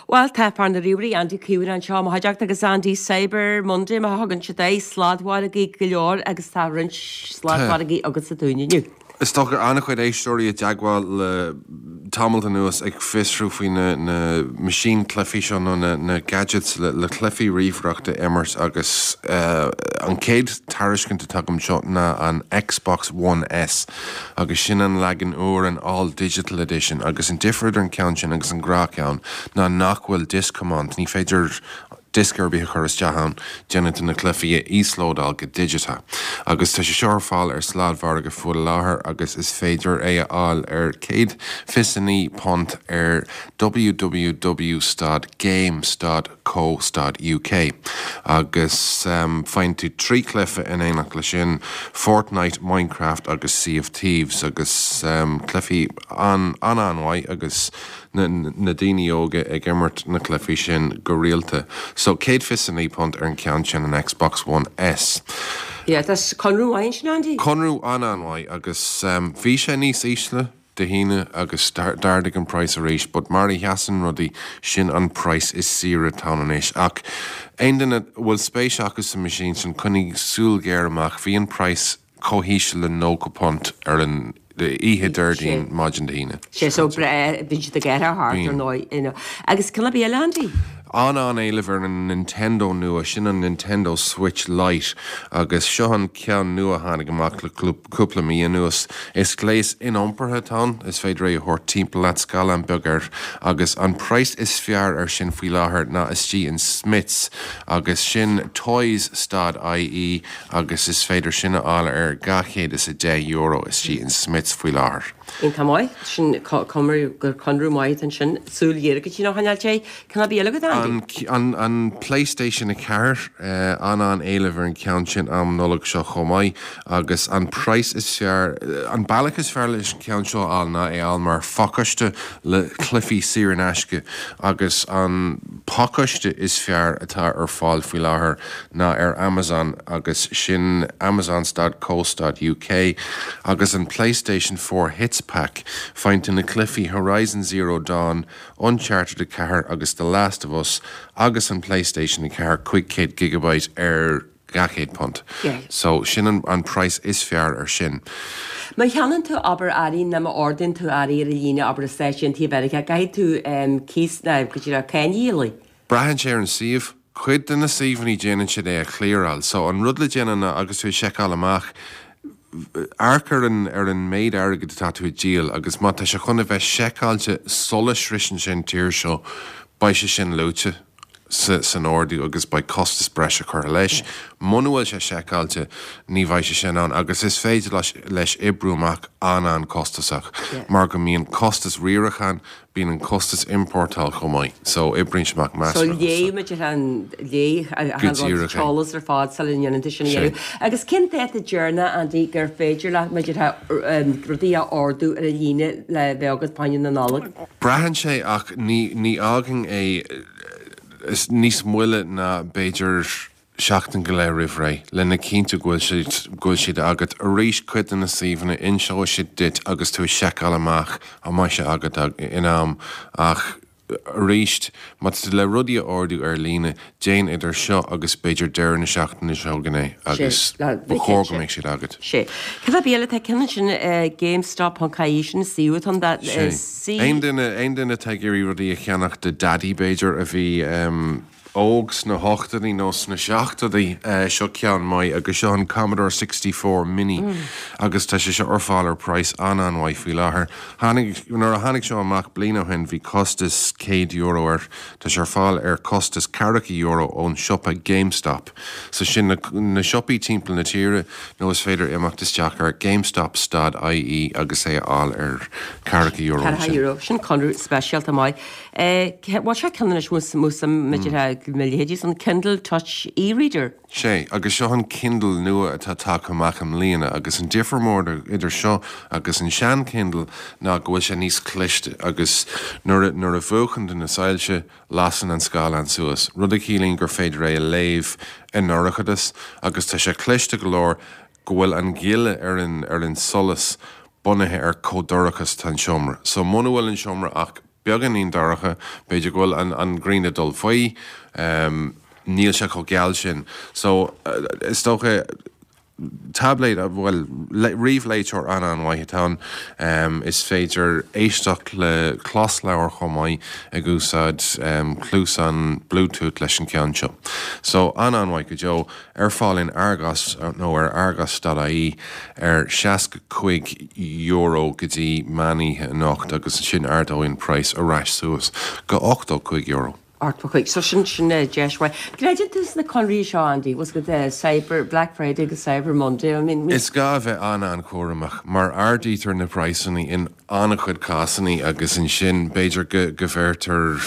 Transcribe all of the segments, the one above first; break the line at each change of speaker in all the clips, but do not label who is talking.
Bhuel, tá fear na ríomhairí, Andy Caomhánach anseo i mo chuideachta agus Andy Cyber Monday mar a thugann siad air, sladmhargaí go leor agus tá roinnt sladmhargaí agatsa dúinn inniu.
Is dócha an-chuid éisteoirí i dteagmháil le tamalt anuas ag fiosrú faoi na na meaisín cluichí seo nó na na gadgets le le cluichí ríomhaireachta a imirt agus an chéad tairiscint atá agam seo ná an Xbox One S agus sin an leagan úr, an All Digital Edition, agus an difear idir an ceann sin agus an gnáthcheann ná nach bhfuil disc command, ní féidir diosca ar bith a chur isteach ann, déanann tú na cluichí a íoslódáil go digiteach. Agus tá sé seo ar fáil ar sladmhargadh faoi láthair agus is féidir é a fháil ar £129 ar www stad game stad co stad uk agus faigheann tú 3 chluiche in éineacht leis sin, Fortnite, Minecraft agus Sea of Thieves agus cluichí an-an-mhaith agus na daoine óga ag imirt na cluichí sin go rialta. So £129 ar an ceann sin, an Xbox One S.
Yeah, that's conradh maith ansin, Andy.
Conradh an-an-mhaith agus bhí sé níos ísle Dé hAoine agus d'ardaigh an praghas arís but mar a sheasann rudaí, sin an praghas is saoire atá ann anois. Ach aon duine a bhfuil spéis acu sa machine sin, coinnigh súil ghéar amach, bhí an praghas chomh híseal le £90 ar an oíche Déardaoin, maidin Dé hAoine.
Sé so breá, bíonn siad ag athrú thart ar ndóigh, you know. Agus ceann ar bith eile, Andy?
An-an-éileamh ar an Nintendo nua, sin an Nintendo Switch Lite agus seo an ceann nua a tháinig amach le cúpla mí anuas. Is gléas iniompartha atá ann, is féidir é a thabhairt timpeall leat, scáileán beag air, agus an praghas is fearr air sin faoi láthair ná istigh in Smyths agus sin toys stad ie agus is féidir sin a fháil ar €210 istigh in Smyths faoi láthair.
Iontach maith. Sin conradh gur conradh maith atá ansin. Súil ghéar go dtí nach choinneáil sé. Ceann ar bith eile agat,
Andy? An an PlayStation 4, an-an-éileamh ar an cheann sin am Nollag seo chomh maith agus an praghas is fearr, an bealach is fearr leis an cheann seo a fháil ná é a fháil mar phacáiste le cluichí saor in aisce agus an pacáiste is fearr atá ar fáil faoi láthair ná ar Amazon agus sin Amazon stad co stad uk agus an PlayStation 4 Hits Pack. Faigheann tú na cluichí Horizon Zero Dawn, Uncharted 4 agus The Last of Us agus an PlayStation 4 500 gigabyte ar £200. So sin an praghas is fearr ar sin.
Má cheannaíonn tú, abair, earraí nó má ordaíonn tú earraí ar líne, abair i Stáit Aontaithe Mheiriceá, caithfidh tú cíos nó go díreach cáin a dhíol.
Braitheann sé ar an suíomh. Cuid de na suíomhanna déanann siad é a chliaráil. So an rud le déanamh ná agus tú ag seiceáil amach, amharc ar an ar an méid airgid atá tú ag díol agus má tá sé chun a bheith seiceáilte sula sroiseann sé an tír seo, beidh sé sin luaite sa san ordú agus beidh costas breise curtha leis. Muna bhfuil sé seiceáilte, ní bheidh sé sin ann agus is féidir leis leis oibriú amach an-an-costasach mar go mbíonn costas riaracháin, Bíonn an costas iompórtáil chomh maith, so oibríonn sé amach
So measartha léigh muid ar an léigh Go an rud díreach é. t-eolas ar fad sula ndéanann tú sin a dhéanamh. Agus cén dáta deireanach, Andy, gur féidir leat maidir le rudaí a ordú ar an líne le bheith agat fá choinne na Nollag?
Braitheann sé ach ní ní fhágfainn é níos moille ná b'fhéidir seachtain go leith roimh ré, lena chinntiú go bhfuil siad, go bhfuil siad agat. Arís, cuid de na suíomhanna, inseoidh siad duit agus tú ag seiceáil amach an mbeidh sé agat in am ach arís, má tá tú le rudaí a ordú ar líne, déan idir seo agus b'fhéidir deireadh na seachtaine seo chugainn é agus ba chóir go mbeadh siad agat.
Sé. Cad é eile tá ceann ansin GameStop.ie sin an suíomh atá ann dá
Sé. Aon duine, aon duine atá ag iarraidh rudaí a cheannach do Daidí b'fhéidir a bhí óg sna hochtóidí nó sna seachtóidí, seo ceann maith agus seo an Commodore 64 Mini agus tá sé seo ar fáil ar praghas an-an-mhaith faoi láthair. Tháinig, nuair a tháinig seo amach bliain ó shin bhí costas €100 air, tá sé ar fáil ar costas ceathracha euro ón siopa GameStop. So sin na, na siopaí timpeall na tíre nó is féidir imeacht isteach ar GameStop stad IE agus é a fháil ar ceathracha euro
ansin. €40, sin conradh speisialta maith. Bhuel, seo ceann anois músaem maidir le leithéidí an Kindle Touch e-reader.
Sé, agus seo an Kindle nua atá tagtha amach i mbliana agus an difear mór idir seo agus an sean Kindle ná go bhfuil sé níos cliste agus nuair a nuair a mhúchann tú na soilse lasann an scáileán suas, rud a chiallaíonn gur féidir é a léamh i ndorchadas agus tá sé cliste go leor go bhfuil an ghile ar an ar an solas bunaithe ar chomh dorcha is atá an seomra. So muna bhfuil an seomra ach. beagáinín dorcha, b'fhéidir go bhfuil an an ghrian ag dul faoi, níl sé chomh geal sin. So, is dócha, táibléad, bhuel, ríomhléiteoir an-an-mhaith atá ann. Is féidir éisteacht le closleabhar chomh maith ag úsáid cluasán Bluetooth leis an ceann seo. So, an-an-mhaith go deo. Ar fáil in Argos nó ar argos.ie ar €65 go dtí meán oíche anocht agus ansin ardóidh an praghas ar ais suas go €85.
85. So sin, sin deis mhaith. Creideann tú sna conraí seo, Andy? Bhfuil a fhios agat Cyber, Black Friday agus Cyber Monday, I mean.
Is gá a bheith an-an-chúramach mar ardaítear na praghsanna in an-chuid cásanna agus ansin b'fhéidir go, go bhfeictear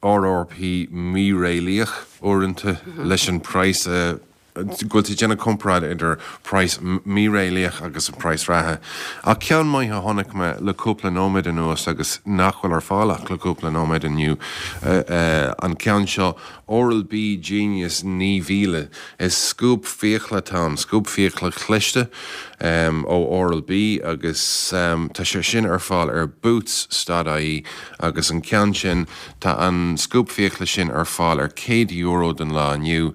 RRP míréalaíoch uaireanta leis an praghas a, go bhfuil tú ag déanamh comparáid idir praghas míréalaíoch agus an praghas reatha. Ach ceann maith a chonaic mé le cúpla nóiméad anuas agus nach bhfuil ar fáil ach le cúpla nóiméad inniu, an ceann seo, Oral-B Genius 9000. Is scuab fiacla atá ann, scuab fiacla chliste ó Oral-B agus tá sé sin ar fáil ar Boots.ie agus an ceann sin, tá an scuab fiacla sin ar fáil ar €100 don lá inniu.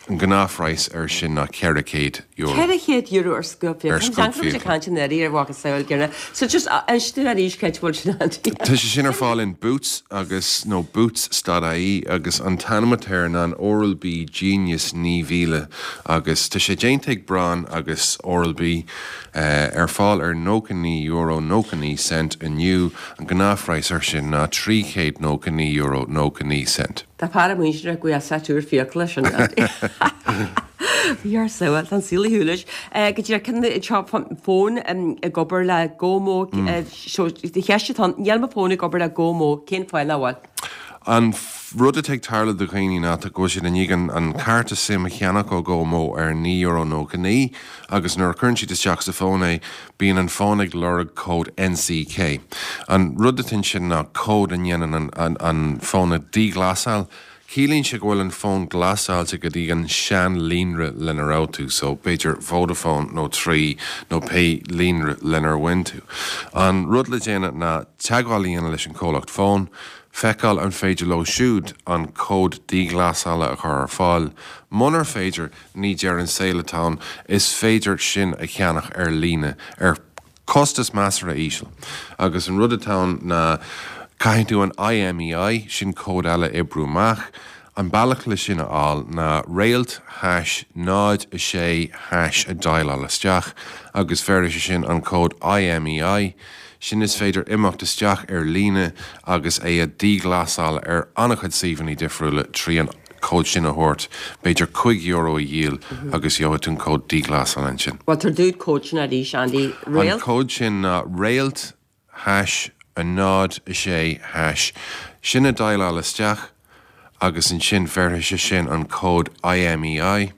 An gnáthphraghas air sin ná €400.
€400 ar scuab fiacla. Ar scuab fiacla. Tá caint an earraí ar mhacasamhail gine. So just inis dúinn arís cá bhfuil sin Andy.
Tá sé sin ar fáil in Boots agus, nó Boots.ie agus an t-ainm atá air ná an Oral-B Genius 9000 agus tá sé déanta ag Braun agus Oral-B. Ar fáil ar €99 99 cent inniu. An gnáthphraghas air sin ná €399 99 cent.
Tá fear muinteartha go bhfuil seit úr fiacla sin Bhí ar saol tá an saol ar shiúl leis. Go díreach cinn seo fón ag obair le GoMo so cheist atá ann níl mo fón ag obair le GoMo cén fáth nach bhfuil?
An rud atá ag tarlú do dhaoine ná go bhfuil siad i ndiaidh an cárta SIM a cheannach ó GoMo ar €9.99 agus nuair a chuireann siad isteach sa fón é Bíonn an fón ag lorg cód NCK. An rud atá ansin ná cód a ndéanann an fón a dhíghlasáil. Ciallaíonn sé go bhfuil an fón glasáilte go dtí an sean-líonra lena raibh tú, so b'fhéidir Vodafone nó Three nó pé líonra lenar bhain tú. An rud le déanamh ná teagmháil a dhéanamh leis an chomhlacht fóin, feiceáil an féidir leo siúd an cód díghlasála a chur ar fáil. Munar féidir, Ní deireadh an saol atá ann, is féidir sin a cheannach ar líne ar chostas measartha íseal. Agus an rud atá ann ná caithfidh tú an IMEI, sin cód eile, a oibriú amach. An bealach le sin a fháil ná réalt hash 0 6 hash a dialáil isteach agus bhéarfaidh sé sin an cód IMEI. Sin is féidir imeacht isteach ar líne agus é a dhíghlasáil ar an-chuid suíomhanna difriúla trí an cód sin a thabhairt, b'fhéidir €5 a dhíol agus gheobhaidh tú an cód díghlasála ansin.
Bhuel, tabhair dúinn an cód sin arís, Andy.
Réalt? An cód sin ná réalt hash 0 6 hash. Sin a dialáil isteach agus ansin bhéarfaidh sé sin an cód IMEI.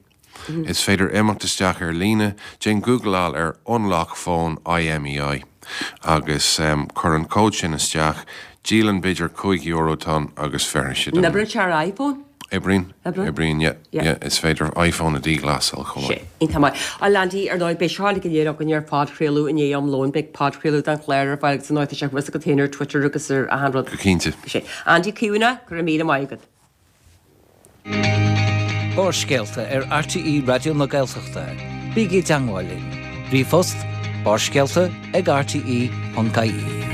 Is féidir imeacht isteach ar líne, déan gúgláil ar Unlock Phone IMEI agus cuir an cód sin isteach, díolann b'fhéidir €5 atá ann agus bhéarfaidh
siad an. An oibríonn sé ar iPhone?
Oibríonn, oibríonn, yeah, yeah, is féidir iPhone a dhíghlasáil chomh maith.
Sea, iontach maith. Bhuel Andy, ar ndóigh, beidh seo uilig go léir againn ar phodchraoladh i ndiaidh am lóin, beidh podchraoladh den chlár ar fáil agus ar ndóigh tá sé thuas agat féin ar Twitter agus ar achan rud.
Go cinnte.
Sea. Andy Caomhánach, go raibh míle maith agat.
Barrscéalta ar RTÉ Raidió na Gaeltachta. Bígí i dteangmháil linn. Ríomhphost, barrscéalta ag rte.ie.